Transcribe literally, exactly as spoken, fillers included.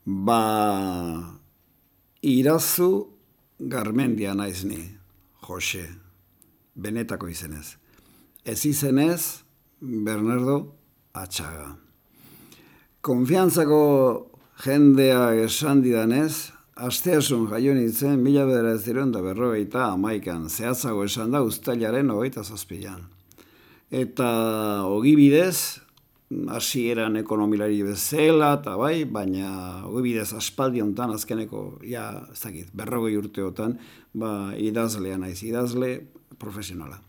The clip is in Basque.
Ba, Irazu Garmendia naiz ni, Jose, benetako izenez. Ez izenez, Bernardo Atxaga. Konfiantzako jendea esan didanez, asteasun jaio nintzen, mila bederatziehun eta berrogeita hamaikan, zehatzago esan da uztailaren hogeita zazpian. Eta ogibidez, hasieran ekonomilari bezala, eta bai, baina ogibidez aspaldi honetan, azkeneko, ja, ez dakit, berrogei urteotan, ba, idazlea naiz, idazle profesionala.